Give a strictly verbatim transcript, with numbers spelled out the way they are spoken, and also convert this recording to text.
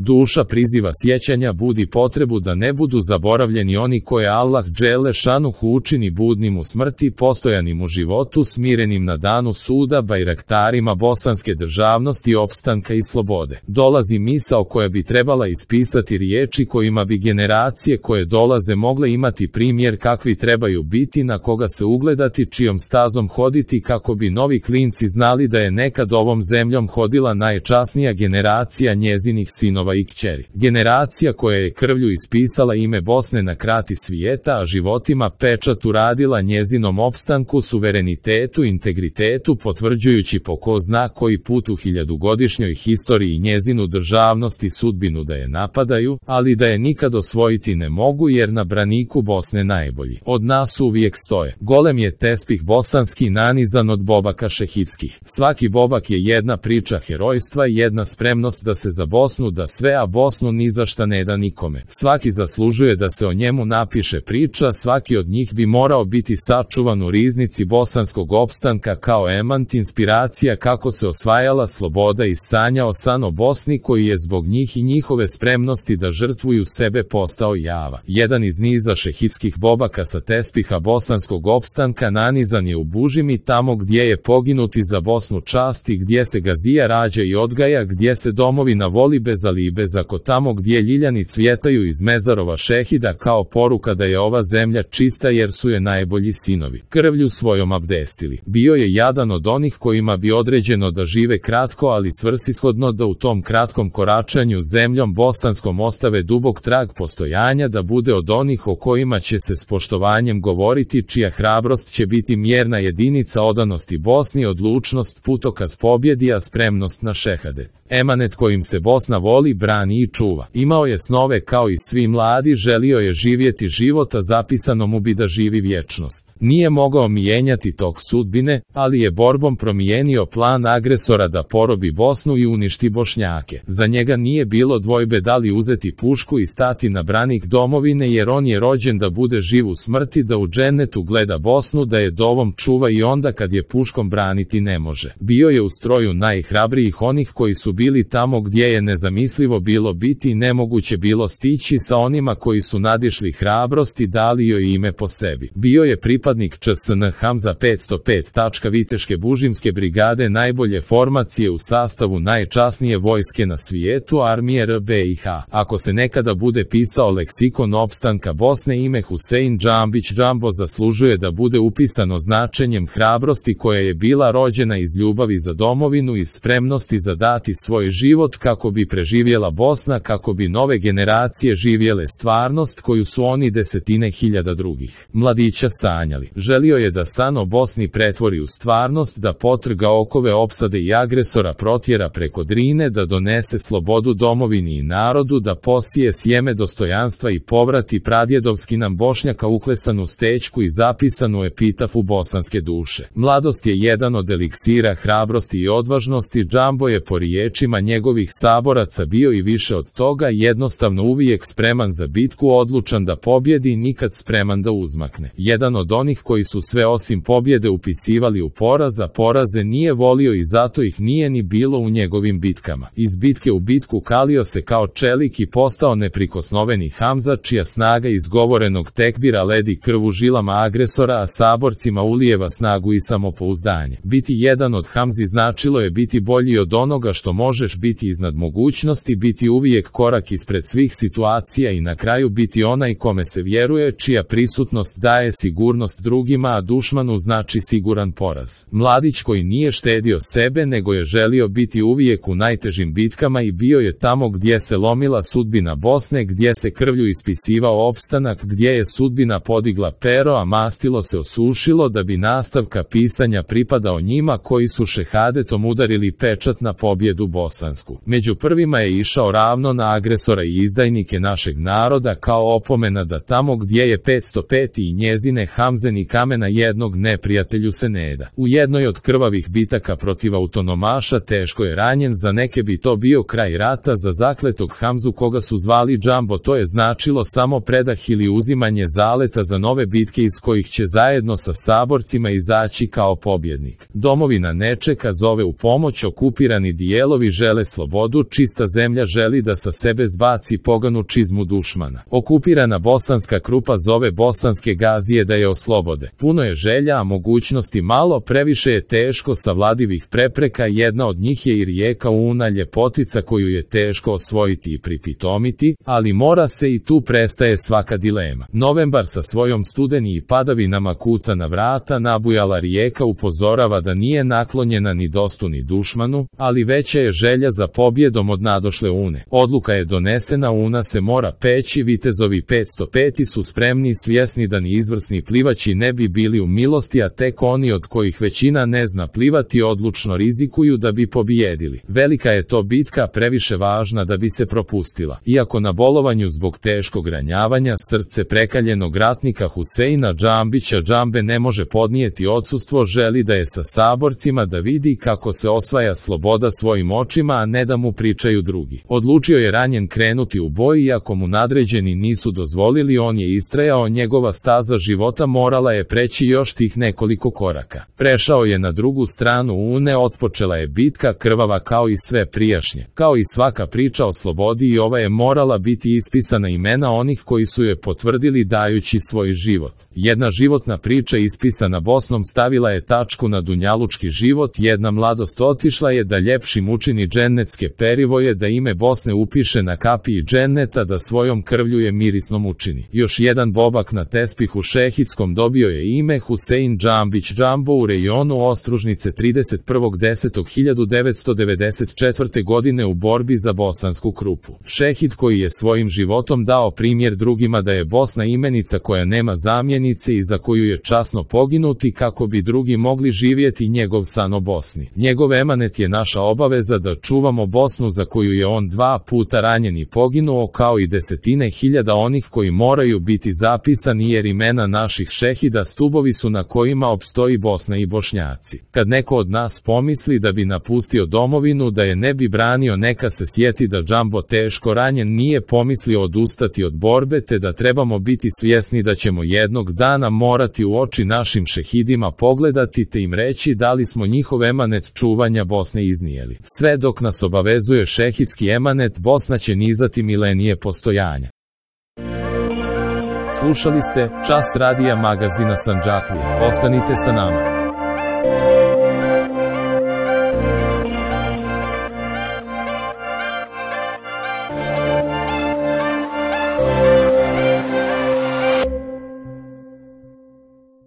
Duša priziva sjećanja, budi potrebu da ne budu zaboravljeni oni koje Allah dželle šanuhu učini budnim u smrti, postojanim u životu, smirenim na danu suda, bajraktarima bosanske državnosti, opstanka i slobode. Dolazi misao koja bi trebala ispisati riječi kojima bi generacije koje dolaze mogle imati primjer kakvi trebaju biti, na koga se ugledati, čijom stazom hoditi, kako bi novi klinci znali da je nekad ovom zemljom hodila najčasnija generacija njezinih sinova i kćeri. Generacija koja je krvlju ispisala ime Bosne na krati svijeta, a životima pečat uradila njezinom opstanku, suverenitetu, integritetu, potvrđujući po ko zna koji put u hiljadugodišnjoj historiji njezinu državnost i sudbinu da je napadaju, ali da je nikad osvojiti ne mogu, jer na braniku Bosne najbolji od nas uvijek stoje. Golem je tespih bosanski nanizan od bobaka šehidskih. Svaki bobak je jedna priča herojstva, jedna spremnost da se za Bosnu da sve, a Bosnu ni za šta ne da nikome. Svaki zaslužuje da se o njemu napiše priča, svaki od njih bi morao biti sačuvan u riznici bosanskog opstanka kao emant, inspiracija kako se osvajala sloboda i sanjao san o Bosni, koji je zbog njih i njihove spremnosti da žrtvuju sebe postao java. Jedan iz niza šehidskih bobaka sa tespiha bosanskog opstanka nanizan je u Bužimi, tamo gdje je poginuti za Bosnu čast i gdje se gazija rađa i odgaja, gdje se domovina voli bez ali i bez ako, tamo gdje ljiljani cvjetaju iz mezarova šehida kao poruka da je ova zemlja čista jer su je najbolji sinovi krvlju svojom abdestili. Bio je jadan od onih kojima bi određeno da žive kratko, ali svrsishodno, da u tom kratkom koračanju zemljom bosanskom ostave dubok trag postojanja, da bude od onih o kojima će se s poštovanjem govoriti, čija hrabrost će biti mjerna jedinica odanosti Bosni, odlučnost putokaz pobjedi, a spremnost na šehadet. Emanet kojim se Bosna voli, brani i čuva. Imao je snove kao i svi mladi, želio je živjeti života, zapisano mu bi da živi vječnost. Nije mogao mijenjati tok sudbine, ali je borbom promijenio plan agresora da porobi Bosnu i uništi Bošnjake. Za njega nije bilo dvojbe da li uzeti pušku i stati na branik domovine, jer on je rođen da bude živ u smrti, da u džennetu gleda Bosnu, da je dovom čuva i onda kad je puškom braniti ne može. Bio je u stroju najhrabrijih onih koji su bili tamo gdje je nezamislivo bilo biti i nemoguće bilo stići, sa onima koji su nadišli hrabrost i dali joj ime po sebi. Bio je pripadnik Č S N Hamza petsto pet. Viteške Bužimske brigade, najbolje formacije u sastavu najčasnije vojske na svijetu, armije R B I H. Ako se nekada bude pisao leksikon opstanka Bosne, ime Husein Džambić Džambo zaslužuje da bude upisano značenjem hrabrosti koja je bila rođena iz ljubavi za domovinu, iz spremnosti za dati svoj život kako bi preživjela Bosna, kako bi nove generacije živjele stvarnost koju su oni desetine hiljada drugih mladića sanjali. Želio je da san o Bosni pretvori u stvarnost, da potrga okove opsade i agresora protjera preko Drine, da donese slobodu domovini i narodu, da posije sjeme dostojanstva i povrati pradjedovski nam Bošnjaka uklesanu stečku i zapisanu epitafu bosanske duše. Mladost je jedan od eliksira hrabrosti i odvažnosti. Džambo je po riječima njegovih saboraca bio i više od toga, jednostavno uvijek spreman za bitku, odlučan da pobjedi i nikad spreman da uzmakne. Jedan od onih koji su sve osim pobjede upisivali u poraz, a poraze nije volio i zato ih nije ni bilo u njegovim bitkama. Iz bitke u bitku kalio se kao čelik i postao neprikosnoveni Hamza, čija snaga izgovorenog tekbira ledi krv u žilama agresora, a saborcima ulijeva snagu i samopouzdanje. Biti jedan od Hamzi značilo je biti bolji od onoga što možeš, biti iznad mogućnosti, biti uvijek korak ispred svih situacija i na kraju biti onaj kome se vjeruje, čija prisutnost daje sigurnost drugima, a dušmanu znači siguran poraz. Mladić koji nije štedio sebe, nego je želio biti uvijek u najtežim bitkama i bio je tamo gdje se lomila sudbina Bosne, gdje se krvlju ispisivao opstanak, gdje je sudbina podigla pero, a mastilo se osušilo, da bi nastavka pisanja pripadao njima koji su šehadetom udarili pečat na pobjedu bosansku. Među prvima je išao ravno na agresora i izdajnike našeg naroda, kao opomena da tamo gdje je petsto pet i njezine Hamze ni kamena jednog neprijatelju se ne da. U jednoj od krvavih bitaka protiv autonomaša teško je ranjen, za neke bi to bio kraj rata, za zakletog Hamzu koga su zvali Džambo to je značilo samo predah ili uzimanje zaleta za nove bitke iz kojih će zajedno sa saborcima izaći kao pobjednik. Domovina ne čeka, zove u pomoć, okupirani dijelovi sinovi žele slobodu, čista zemlja želi da sa sebe zbaci poganu čizmu dušmana. Okupirana bosanska krupa zove bosanske gazije da je oslobode. Puno je želja, a mogućnosti malo, previše je teško savladivih prepreka, jedna od njih je i rijeka Una, ljepotica koju je teško osvojiti i pripitomiti, ali mora se i tu prestaje svaka dilema. Novembar sa svojom studeni i padavinama kuca na vrata, nabujala rijeka upozorava da nije naklonjena ni dostu ni dušmanu, ali veća je želja za pobjedom od nadošle Une. Odluka je donesena, Una se mora peći, vitezovi petsto pet su spremni, svjesni da ni izvrsni plivači ne bi bili u milosti, a tek oni od kojih većina ne zna plivati odlučno rizikuju da bi pobijedili. Velika je to bitka, previše važna da bi se propustila. Iako na bolovanju zbog teškog ranjavanja, srce prekaljenog ratnika Huseina Džambića Džambe ne može podnijeti odsustvo, želi da je sa saborcima, da vidi kako se osvaja sloboda svojim očima, a ne da mu pričaju drugi. Odlučio je ranjen krenuti u boj, iako mu nadređeni nisu dozvolili, on je istrajao, njegova staza života morala je preći još tih nekoliko koraka. Prešao je na drugu stranu Une, otpočela je bitka, krvava kao i sve prijašnje. Kao i svaka priča o slobodi, i ova je morala biti ispisana imena onih koji su je potvrdili dajući svoj život. Jedna životna priča ispisana Bosnom stavila je tačku na dunjalučki život, jedna mladost otišla je da ljepšim učini džennetske perivoje, da ime Bosne upiše na kapiji dženneta, da svojom krvlju je mirisnom učini. Još jedan bobak na tespihu šehitskom dobio je ime Husein Džambić Džambo u rejonu Ostružnice trideset prvog desetog hiljadu devetsto devedeset četvrte. godine u borbi za bosansku krupu. Šehid koji je svojim životom dao primjer drugima da je Bosna imenica koja nema zamjenice i za koju je časno poginuti kako bi drugi mogli živjeti njegov san o Bosni. Njegov emanet je naša obaveza da čuvamo Bosnu za koju je on dva puta ranjen i poginuo, kao i desetine hiljada onih koji moraju biti zapisani, jer imena naših šehida stubovi su na kojima opstoji Bosna i Bošnjaci. Kad neko od nas pomisli da bi napustio domovinu, da je ne bi branio, neka se sjeti da Džambo teško ranjen nije pomislio odustati od borbe, te da trebamo biti svjesni da ćemo jednog dana morati u oči našim šehidima pogledati te im reći da li smo njihov emanet čuvanja Bosne iznijeli. Sve dok nas obavezuje šehidski emanet, Bosna će nizati milenije postojanja. Slušali ste Čas radija magazina Sandžaklije. Ostanite sa nama.